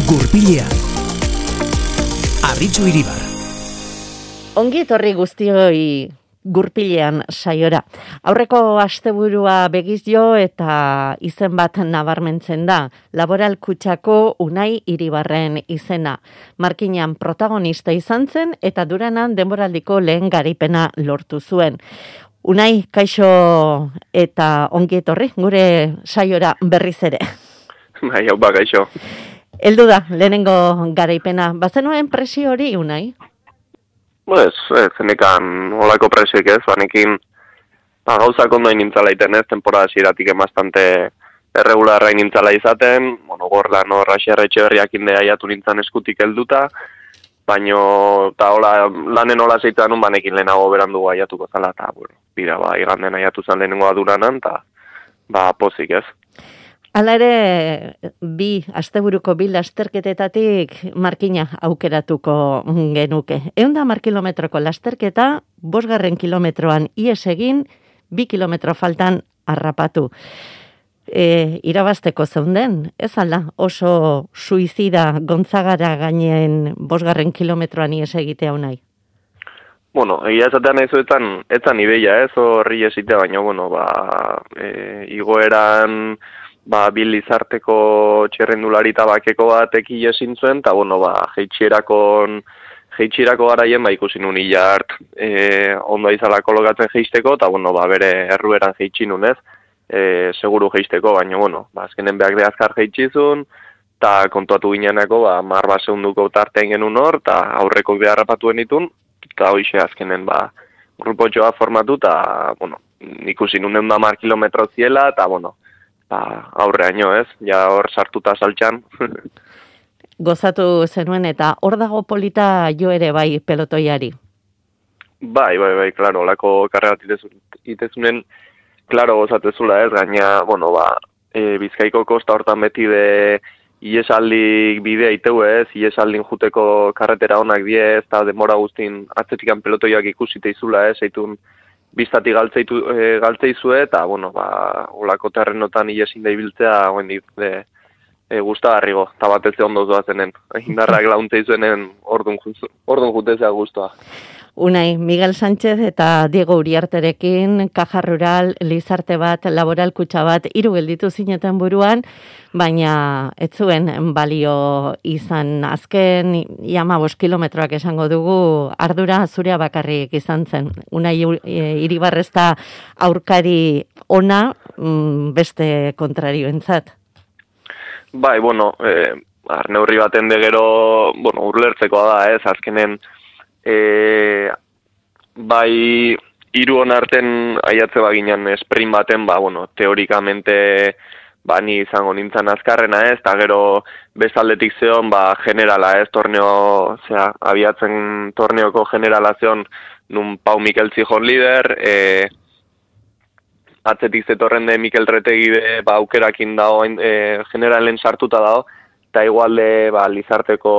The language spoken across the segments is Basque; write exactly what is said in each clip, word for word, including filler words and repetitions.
Gurpilean Arritxu Iribar. Ongi etorri guztioi Gurpilean saiora. Aurreko asteburua begiz jo eta izen bat nabarmentzen da. Laboral Kutxako Unai Iribarren izena. Markinan protagonista izan zen eta Duranan denboraldiko lehen garaipena lortu zuen. Unai, kaixo eta ongi etorri gure saiora berriz ere. Bai, hau ba, kaixo. Heldu da, lehenengo garaipena. Bazenuen presio hori, Unai? Pues, ez, zenekan olako presioik ez, banekin ba, gauzak ondo inintzala iten ez, temporada ziratik bastante erregularra inintzala izaten, bueno, gorlan horra xerretxe berriak indea jatu nintzen eskutik helduta, baino, eta hola, lanen hola zeitzen nun banekin lehenago berandu aiatuko zala, eta, bueno, bida, ba, iganden aiatu zen lehenengoa Duranan, eta, ba, pozik ez. Hala ere, bi, asteburuko bi lasterketetatik markina aukeratuko genuke. Ehun da hamar kilometroko lasterketa, bosgarren kilometroan ies egin, bi kilometro faltan harrapatu. E, irabazteko zeunden, ez alda, oso suizida Gontzagara gainen bosgarren kilometroan ies egitea Unai? Bueno, egia esatean nahi zuetan, etzan ideia ez, horri esitea, baina, bueno, ba, e, igoeran, ba, bil izarteko txerrendulari tabakeko bat eki esin zuen, eta, bueno, ba, jeitxierakon, jeitxierako garaien, ba, ikusi nun hilart, e, ondo izala kolokatzen jeisteko, eta, bueno, ba, bere errueran jeitxinun ez, e, seguru jeisteko, baina, bueno, ba, azkenen behak de azkar jeitxizun, eta kontuatu gineanako, ba, marba segunduko tartean genuen hor, eta aurreko beharrapatuen ditun, eta hoxe azkenen, ba, grupotxoa formatu, eta, bueno, ikusi nun egun da mar kilometro ziela, eta, bueno, ba, aurreaino ez, ja hor sartuta saltxan. Gozatu zenuen eta hor dago polita jo ere bai pelotoiari? Bai, bai, bai, klaro, olako karrerat itezunen, klaro gozatezula ez, gaina, bueno, ba, e, Bizkaiko kosta hortan beti de iesaldik bidea iteu ez, iesaldin juteko karretera honak die ez, eta demora guztin atzetikan pelotoiak ikusite izula ez, eitun biztatik galtzeitu, e, galtzeizue, eta, bueno, ba, olako terrenotan iesin da ibiltzea, oen dit, e, e, gustagarrigo, eta batez ondo zoazenen, indarrak launtzeizuen ordun, ordun jutezea guztua. Unai, Miguel Sánchez eta Diego Uriarterekin, Caja Rural, Lizarte bat, Laboral Kutxa bat, hiru gelditu zineten buruan, baina ez zuen balio izan azken, ia hamabost kilometroak esango dugu, ardura zurea bakarrik izan zen. Unai Iribarrezta aurkari ona, beste kontrarioentzat. Bai, bueno, eh, arneurri baten de gero, bueno, urlertzekoa da, ez, azkenen, E, bai, hiru onarten aiatze baginan sprint baten, ba, bueno, teorikamente ba, ni izango nintzen azkarrena ez, eta gero bestaldetik zeon, ba, generala ez, torneo, osea, abiatzen torneoko generala zeon, nun Pau Mikel Zijon lider, e, atzetik zetorren de Mikel Retegi de, ba, aukerakin dago, e, generalen sartuta dago, eta igualde, ba, Lizarteko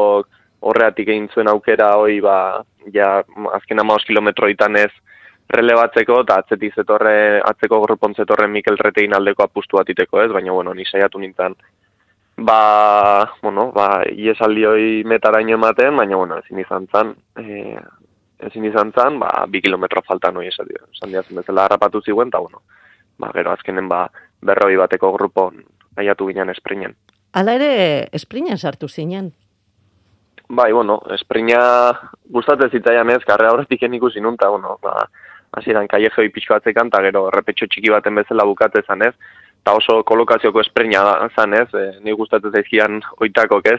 horreatik egin zuen aukera hoi, ba, ja, azken hamabost kilometroitan ez relebatzeko, eta atzetik zetorre, atzeko grupon zetorren Mikel Retegin aldeko apustu batiteko ez, baina, bueno, ni saiatu nintzen, ba, bueno, ba, iesaldi hoi metaraino ematen, baina, bueno, ezin izan zan, e, ezin izan zan, ba, bi kilometro faltan hoi esan diazen bezala harrapatu ziguen, eta, bueno, ba, gero azkenen, ba, berroi bateko grupon aiatu ginen esprinen. Hala ere, esprinen sartu zinen? Bai, bueno, esprina gustatzen zitzaian ez, karrera horretik ikusi nun, eta, bueno, ba, hasieran kaiejoi pixko batzekan, eta gero errepetxo txiki baten bezala bukatze zan ez, eta oso kolokazioko esprina zan ez, e, ni gustatzen zaizkian oitakok ez,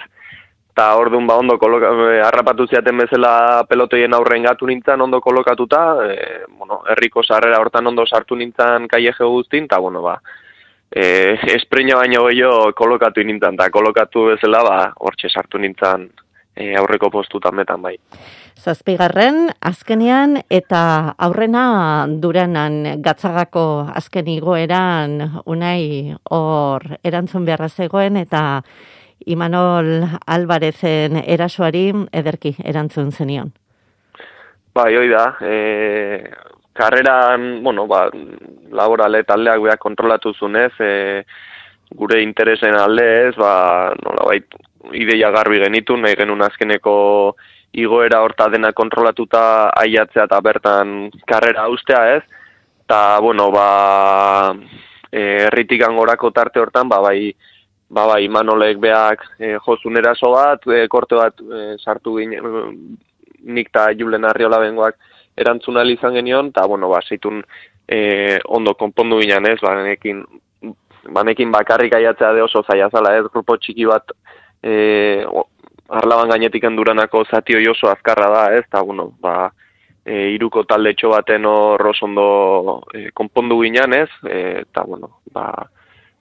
eta orduan ba ondo koloka, e, harrapatu ziaten bezala pelotoien aurren gatu nintzen ondo kolokatuta, e, bueno, herriko sarrera hortan ondo sartu nintzen kaieje guztin, eta, bueno, ba, e, esprina baino gehiago kolokatu nintzen, eta kolokatu bezala, ba, hortxe sartu nintzen, E, aurreko postutan betan bai. Zazpigarren, azkenean, eta aurrena Duranan Gatzagako azken igoeran Unai hor erantzun beharra zegoen, eta Imanol Albarezen erasoari ederki erantzun zenion. Bai, hoi da, e, karreran, bueno, ba, laborale taldeak beha kontrolatu zunez, e, gure interesen alde ez, ba, nola bait, ideia garbi genitu, nahi genuen azkeneko igoera horta dena kontrolatuta aiatzea eta bertan karrera ustea, ez? Eta, bueno, ba, herritik angorako tarte hortan, ba, bai, ba, bai, Manolek beak e, jozun eraso bat, e, korte bat e, sartu ginen, nik eta Julen Arriola bengoak erantzuna izan genion, eta, bueno, ba, zeitun e, ondo konpondu ginen, ez, banekin, banekin bakarrik aiatzea de oso zaila zala, ez, grupo txiki bat, e, arlaban gainetik enduranako zati hoi oso azkarra da, ez, eta, bueno, ba, e, iruko talde txo baten hor oso ondo e, konpondu ginen, ez, e, eta, bueno, ba,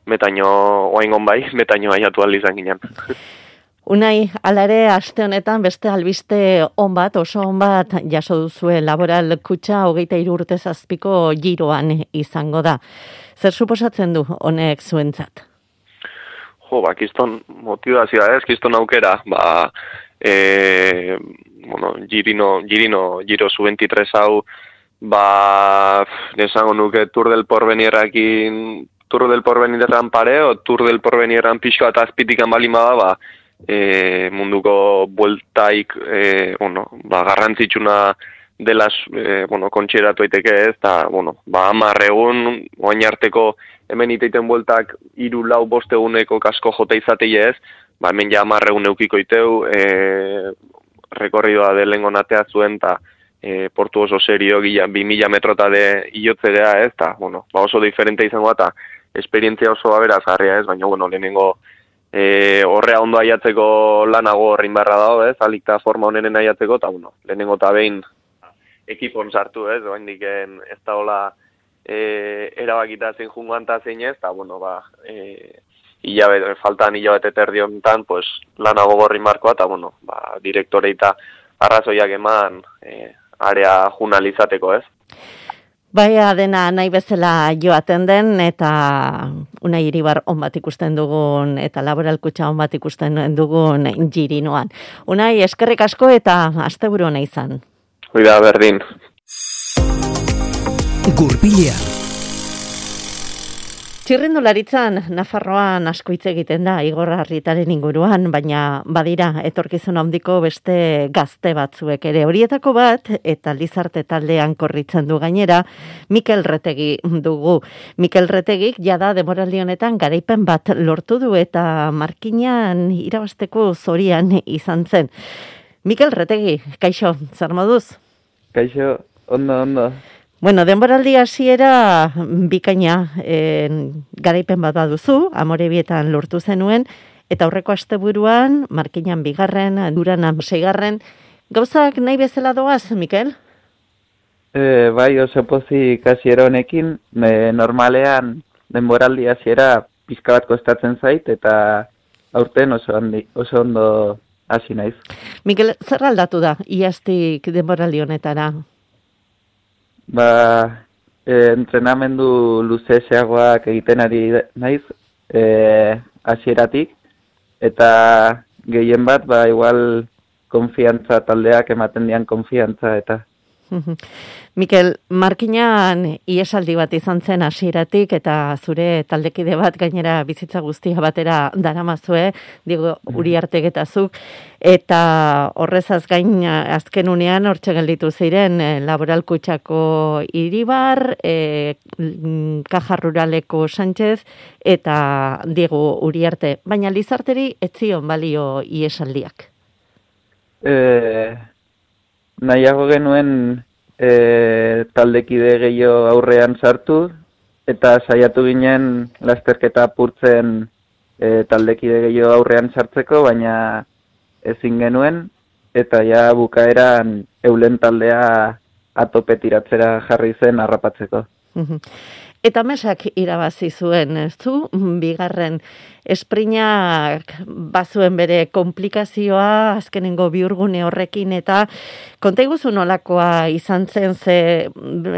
metaino, oaingon bai, metaino aiatu aldi izan ginen. Unai, alare, aste honetan beste albiste on bat, oso on bat jaso duzue Laboral Kutxa hogeita hiru urte zazpiko giroan izango da. Zer suposatzen du honek zuentzat? Jo, ba, kiston motivazioa ez, kiston aukera, ba, e, bueno, girino, girino, giro zu veintitrés hau, ba, nesango nuke Tour del Porvenirakin, Tour del Porvenirran pare, o Tour del Porvenirran pixko eta azpitikan balima da, ba, e, munduko bueltaik, e, bueno, ba, garrantzitsuna dela, e, bueno, kontxeratu aiteke ez, eta, bueno, ba, hamar egun, oain arteko hemen iteiten bueltak hiru lau bost eguneko kasko jota izatei ez, ba, hemen ja hamar egun eukiko iteu, e, rekorridoa de lehengo natea zuen, eta e, portu oso serio, gila, bi mila metrota de iotzegea ez, eta, bueno, ba, oso diferente izango eta esperientzia oso aberazgarria ez, baina, bueno, lehenengo E, horrea ondo aiatzeko lanago horrein barra dago, ez, alikta forma honenen aiatzeko, eta, bueno, lehenengo eta behin ekipon sartu, ez, oain diken ez da hola e, erabakita zein jungoan eta zein ez, eta, bueno, ba, e, hilabete, faltan hilabete terdi honetan, pues, lanago gorrin markoa, eta, bueno, ba, direktore eta arrazoiak eman e, area junalizateko, ez. Baia dena nahi bezala joaten den, eta Unai Iribar on bat ikusten dugun, eta Laboral Kutxa on bat ikusten dugun girinoan. Unai, eskerrik asko eta asteburu ona izan. Hoi da, berdin. Gurpilean. Txirrindularitzan, Nafarroan asko hitz egiten da Igor Arritaren inguruan, baina badira etorkizun handiko beste gazte batzuek ere. Horietako bat, eta Lizarte taldean korritzen du gainera, Mikel Retegi dugu. Mikel Retegik jada denboraldi honetan garaipen bat lortu du eta markinan irabasteko zorian izan zen. Mikel Retegi, kaixo, zer moduz? Kaixo, ondo, ondo. Bueno, denboraldi hasiera bikaina e, garaipen bat baduzu, Amorebietan lortu zenuen, eta aurreko asteburuan, markinan bigarren, Duranan seigarren, gauzak nahi bezala doaz, Mikel? E, bai, oso pozik hasiera honekin, e, normalean denboraldi hasiera pizka bat kostatzen zait, eta aurten oso, handi, oso ondo hasi naiz. Mikel, zer aldatu da, iaztik denboraldi honetara? Ba, e, entrenamendu luzeseagoak egiten ari naiz, e, hasieratik, eta gehien bat, ba, igual konfiantza taldeak ematen dian konfiantza, eta... Mikel, markinan iesaldi bat izan zen hasieratik eta zure taldekide bat gainera bizitza guztia batera daramazue, digo Uriartek eta zuk, eta horrezaz gain azken unean hortxe gelditu ziren Laboral Kutxako Iribar, e, Kaja Ruraleko Sánchez eta Diego Uriarte, baina Lizarteri ez zion balio iesaldiak. Eh... Nahiago genuen e, taldekide gehiago aurrean sartu, eta saiatu ginen lasterketa apurtzen e, taldekide gehiago aurrean sartzeko, baina ezin genuen, eta ja bukaeran eulen taldea atope tiratzera jarri zen harrapatzeko. Eta mesak irabazi zuen, ez du? Bigarren esprinak bazuen bere komplikazioa, azkenengo biurgune horrekin, eta konta iguzu nolakoa izan zen, ze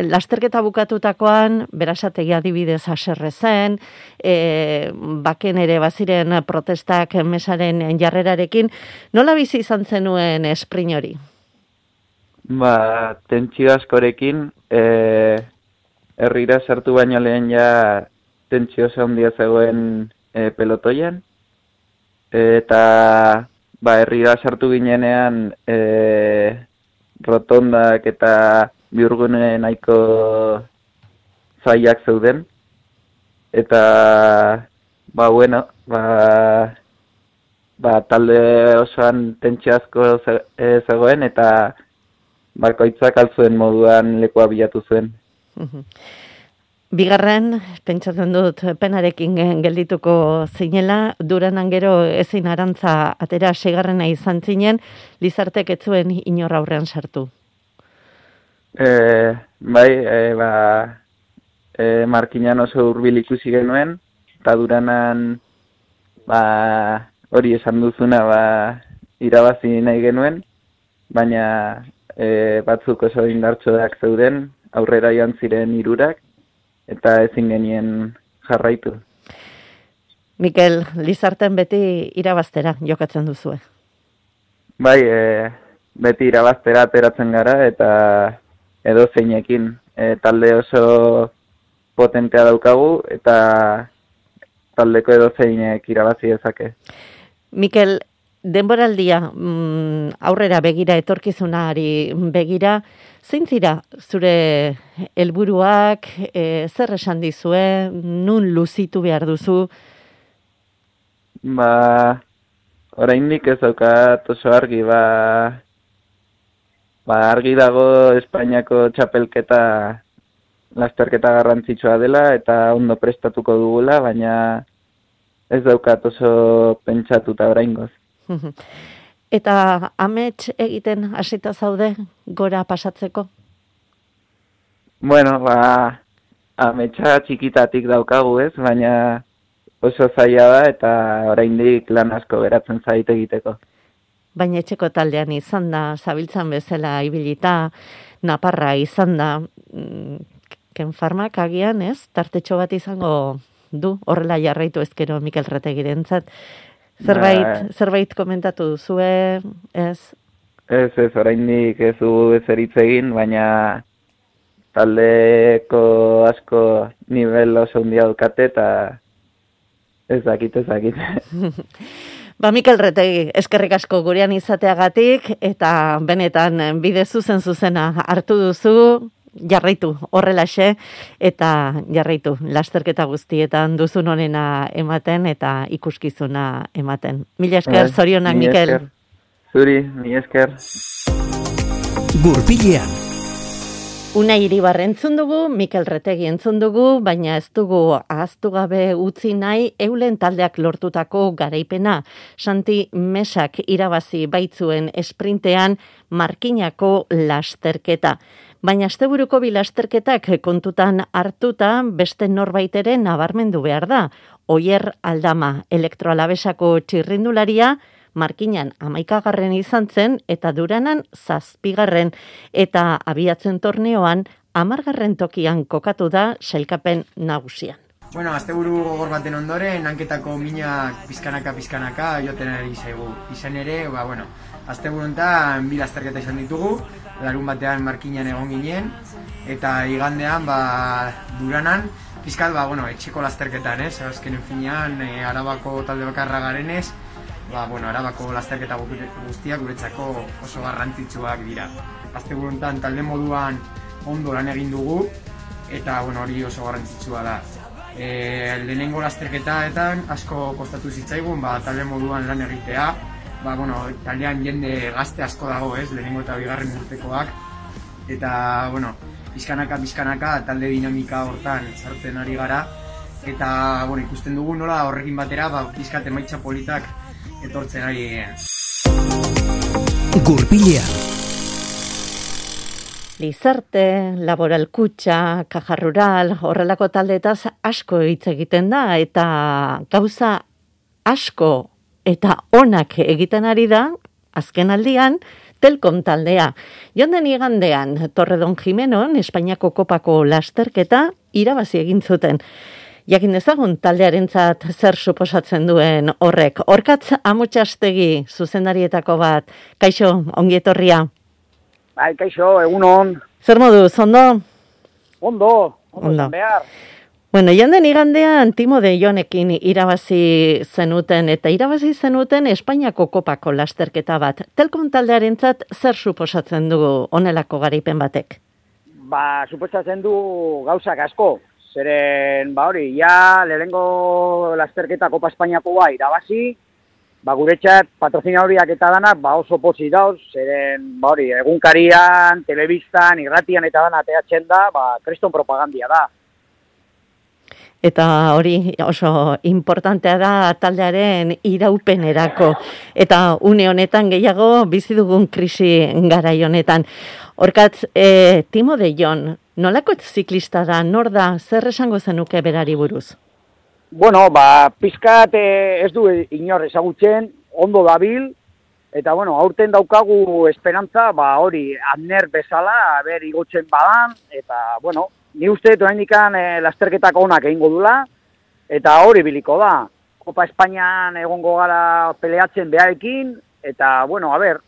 lasterketa bukatutakoan, berasategi adibidez haserre zen, e, baken ere baziren protestak mesaren jarrerarekin, nola bizi izan zenuen esprin hori? Ba, tentsio askorekin, e... herrira sartu baino lehen ja tentsio handia zegoen e, pelotoian, eta ba, herrira sartu ginenean e, rotondak eta bihurgune nahiko zaiak zeuden. Eta, ba, bueno, ba, ba, talde osoan tentsio asko ze, e, zegoen eta bakoitzak altzuen moduan lekua bilatu zuen. Bigarren, pentsatzen dut, penarekin geldituko zinela, Duranan gero ezin arantza atera seigarrena izan zinen, Lizartek ez zuen inor aurrean sartu. E, bai, e, ba, e, Markinan oso hurbil ikusi genuen, eta Duranan ba, hori esan duzuna ba, irabazi nahi genuen, baina e, batzuk oso indartsuak zeuden, aurrera joan ziren hirurak, eta ezin genien jarraitu. Mikel, Lizarten beti irabaztera jokatzen duzue. Bai, e, beti irabaztera ateratzen gara, eta edo zeinekin. E, talde oso potentea daukagu, eta taldeko edo zeinek irabazi dezake. Mikel, denboraldia mm, aurrera begira, etorkizunari begira, zein zira zure helburuak, e, zer esan dizue, nun luzitu behar duzu? Ba, oraindik ez daukat oso argi, ba, ba argi dago Espainiako txapelketa lasterketa garrantzitsua dela eta ondo prestatuko dugula, baina ez daukat oso pentsatuta oraingoz. Eta amets egiten hasita zaude gora pasatzeko? Bueno, ba, ametsa txikitatik daukagu ez, baina oso zaila da eta oraindik lan asko geratzen zait egiteko. Baina etxeko taldean izan da, zabiltzan bezala ibilita, naparra izan da, ken farmak agian ez, tartetxo bat izango du, horrela jarraitu ezkero Mikel Retegirentzat. Zerbait, ba, zerbait komentatu duzue, ez? Ez, ez, oraindik ez du ezer hitz egin, baina taldeko asko nivel oso handia dukate eta ez dakit, ez dakit. Ba, Mikel Retegi, eskerrik asko gurean izateagatik, eta benetan bide zuzen zuzena hartu duzu, jarraitu horrelaxe, eta jarraitu lasterketa guztietan duzun honena ematen eta ikuskizuna ematen. Mila esker, eh, zorionak, Mikel. Esker. Zuri, mila esker. Gurpilean. Unai Iribar entzun dugu, Mikel Retegi entzun dugu, baina ez dugu ahaztu gabe utzi nahi Eulen taldeak lortutako garaipena. Santi Mesak irabazi baitzuen esprintean Markinako lasterketa. Baina asteburuko bi lasterketak kontutan hartuta beste norbaiteren nabarmendu behar da. Oier Aldama, elektroalabesako txirrindularia, Markinan hamaikagarren izan zen eta Duranan zazpigarren eta abiatzen torneoan hamargarren tokian kokatu da sailkapen nagusian. Bueno, asteburu gogor baten ondoren, hanketako minak pizkanaka-pizkanaka joten ari zaigu. Izan ere, ba, bueno, asteburu honetan bi lasterketa izan ditugu, larun batean Markinan egon ginen, eta igandean, ba, Duranan, pizkat, ba, bueno, etxeko lasterketan, ez? Azkenen finean, e, Arabako talde bakarra garenez, ba, bueno, Arabako lasterketa guztiak guretzako oso garrantzitsuak dira. Asteburu honetan talde moduan ondo lan egin dugu, eta, bueno, hori oso garrantzitsua da. E, lehenengo lasterketaetan asko kostatu zitzaigun, ba, talde moduan lan egitea, ba, bueno, taldean jende gazte asko dago, ez, lehenengo eta bigarren urtekoak, eta, bueno, pizkanaka, pizkanaka, talde dinamika hortan sartzen ari gara, eta, bueno, ikusten dugu nola horrekin batera, ba, pizkat emaitza politak etortzen ari. Gurpilea. Lizarte, Laboral Kutxa, Caja Rural, horrelako taldeetaz asko hitz egiten da, eta gauza asko eta onak egiten ari da, azken aldian, Telkom taldea. Jonden igandean, Torredon Jimenon, Espainiako kopako lasterketa, irabazi egin zuten. Jakin dezagun taldearentzat zer suposatzen duen horrek. Orkatz Amotxastegi zuzendarietako bat. Kaixo, ongi etorria. Bai, kaixo, egun on. Zer moduz, ondo? Ondo, ondo, ondo. Behar. Bueno, joan igandean Timo de Jonekin irabazi zenuten, eta irabazi zenuten Espainiako kopako lasterketa bat. Telkom taldearentzat zer suposatzen du honelako garaipen batek? Ba, suposatzen du gauzak asko. Zeren, ba hori, ja, lehenengo lasterketa Kopa Espainiakoa irabazi, ba, guretzat patrozinadoriak eta danak, ba, oso potzi dauz, zeren, ba hori, egunkarian, telebistan, irratian eta dana ateatzen da, ba, kriston propagandia da. Eta hori oso importantea da taldearen iraupenerako. Eta une honetan gehiago bizi dugun krisi garai honetan. Horkatz, e, Timo de Jon, nolako ziklista da, nor da, zer esango zenuke berari buruz? Bueno, ba, pizkat ez du inor ezagutzen, ondo dabil, eta bueno, aurten daukagu esperantza, ba hori, Abner bezala, ber igotzen badan, eta bueno, ni uste dut oraindikan e, lasterketak onak egingo dula, eta hori biliko da. Kopa Espainian egongo gara peleatzen beharekin, eta bueno, a ber.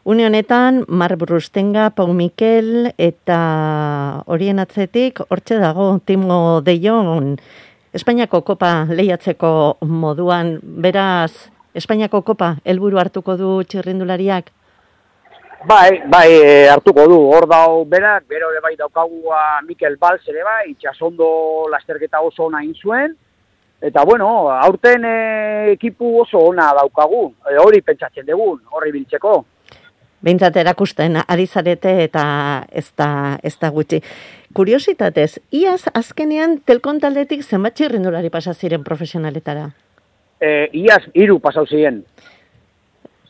Une honetan, Marc Brustenga, Pau Mikel, eta horien atzetik, hortxe dago, Timo de Jon, Espainiako kopa lehiatzeko moduan, beraz, Espainiako kopa helburu hartuko du txirrindulariak? Bai, bai, e, hartuko du, hor dau berak, bero ere bai daukagua Mikel Valls ere bai, itxasondo lasterketa oso ona egin zuen, eta bueno, aurten e, ekipu oso ona daukagu, e, hori pentsatzen dugun, horri biltzeko. Behintzat erakusten ari zarete eta ez da, ez da gutxi. Kuriositatez, iaz azkenean Telkom taldetik zenbat txirrindulari pasa ziren profesionaletara? E, iaz hiru pasau ziren.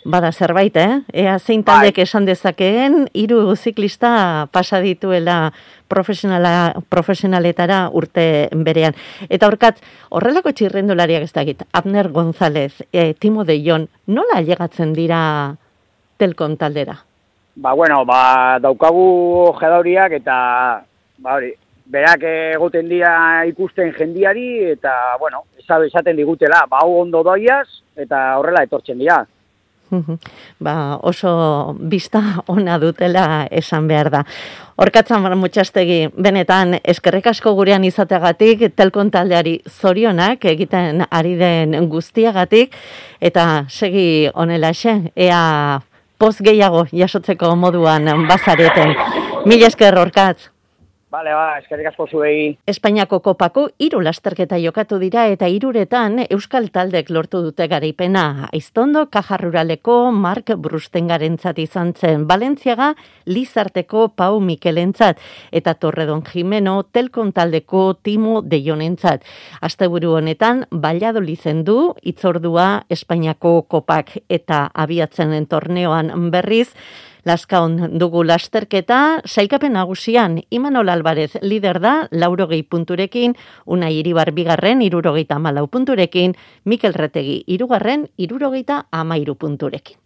Bada zerbait, eh? Ea zein taldek esan dezakeen, hiru ziklista pasa dituela profesionala, profesionaletara urte berean. Eta horkat, horrelako txirrindulariak ez dakit, Abner González, e, Timo de Jon, nola llegatzen dira Telkom taldera? Ba, bueno, ba, daukagu jedauriak eta, ba, hori, berak egoten dira ikusten jendiari eta, bueno, esaten digutela, ba, hau ondo doiaz eta horrela etortzen dira. Ba, oso bista ona dutela esan behar da. Horkatzan Mutxastegi, benetan eskerrik asko gurean izateagatik, Telkom taldeari zorionak egiten ari den guztiagatik, eta segi honelaxe, ea poz gehiago jasotzeko moduan bazareten. Mila esker, Horkatz. Bale, ba, eskerrik asko zuei. Espainiako kopako hiru lasterketa jokatu dira eta hiruretan euskal taldek lortu dute garaipena. Aiztondo Kajarruraleko Marc Brustengarentzat izan zen, Valentziaga Lizarteko Pau Mikelentzat eta Torredon Jimeno Telkom taldeko Timo de Jonentzat. Asteburu honetan Valladolizen du hitzordua Espainiako kopak eta abiatzen den torneoan berriz. Laskaon dugu lasterketa, sailkapen nagusian Imanol Alvarez lider da, laurogei punturekin, Unai Iribar bigarren, irurogeita hamalau punturekin, Mikel Retegi irugarren, irurogeita hamairu punturekin.